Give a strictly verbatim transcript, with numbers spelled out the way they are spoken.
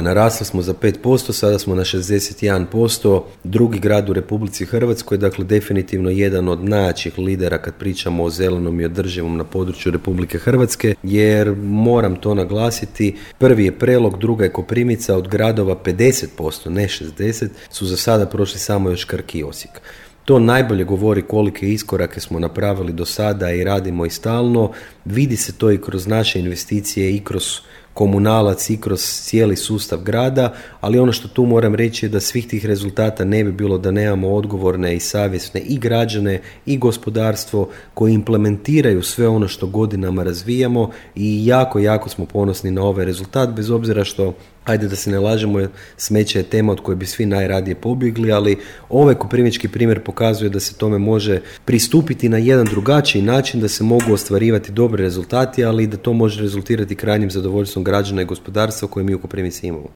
Narasli smo za pet posto, sada smo na šezdeset jedan posto, drugi grad u Republici Hrvatskoj, dakle definitivno jedan od najjačih lidera kad pričamo o zelenom i održivom na području Republike Hrvatske, jer moram to naglasiti, prvi je Prelog, druga je Koprivnica, od gradova pedeset posto, ne šezdeset, su za sada prošli samo još Krk i Osijek. To najbolje govori kolike iskorake smo napravili do sada i radimo i stalno. Vidi se to i kroz naše investicije i kroz komunalac i kroz cijeli sustav grada, ali ono što tu moram reći je da svih tih rezultata ne bi bilo da nemamo odgovorne i savjesne i građane i gospodarstvo koji implementiraju sve ono što godinama razvijamo i jako, jako smo ponosni na ovaj rezultat, bez obzira što, ajde da se ne lažemo, smeće je tema od koje bi svi najradije pobjegli, ali ovaj koprivnički primjer pokazuje da se tome može pristupiti na jedan drugačiji način, da se mogu ostvarivati dobri rezultati, ali da to može rezultirati krajnjim zadovoljstvom građana i gospodarstva koje mi u Koprivnici imamo.